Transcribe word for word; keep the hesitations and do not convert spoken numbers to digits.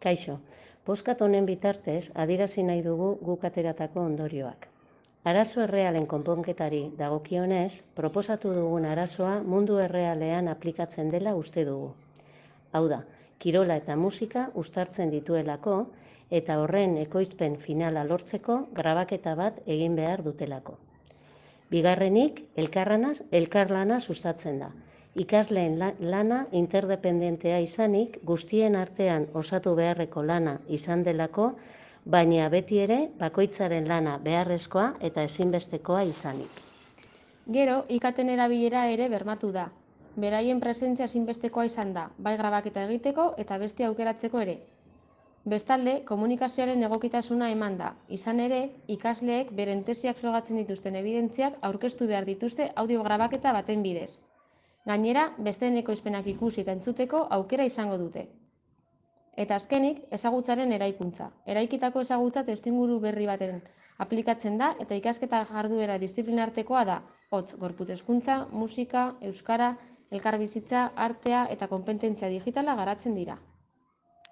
Kaixo, poskat honen bitartez adierazi nahi dugu guk ateratako ondorioak. Arazo errealen konponketari dagokionez, proposatu dugun arazoa mundu errealean aplikatzen dela uste dugu. Hau da, kirola eta musika uztartzen dituelako eta horren ekoizpen finala lortzeko grabaketa bat egin behar dutelako. Bigarrenik, elkarlanaz, elkarlana sustatzen da. Ikasleen lana interdependentea izanik, guztien artean osatu beharreko lana izan delako, baina beti ere bakoitzaren lana beharrezkoa eta ezinbestekoa izanik. Gero, ikaten erabilera ere bermatu da. Beraien presentzia ezinbestekoa izan da, bai grabaketa egiteko eta beste aukeratzeko ere. Bestalde, komunikazioaren egokitasuna eman da. Izan ere, ikasleek beren tesiak frogatzen dituzten evidentziak aurkeztu behar dituzte audio grabaketa baten bidez. Gainera, besteen ekoizpenak ikusi eta entzuteko aukera izango dute. Eta azkenik, ezagutzaren eraikuntza. Eraikitako ezagutza testuinguru berri baten aplikatzen da eta ikasketa jarduera disiplinartekoa da. Hotz, gorputz hezkuntza, musika, euskara, elkarbizitza, artea eta konpetentzia digitala garatzen dira.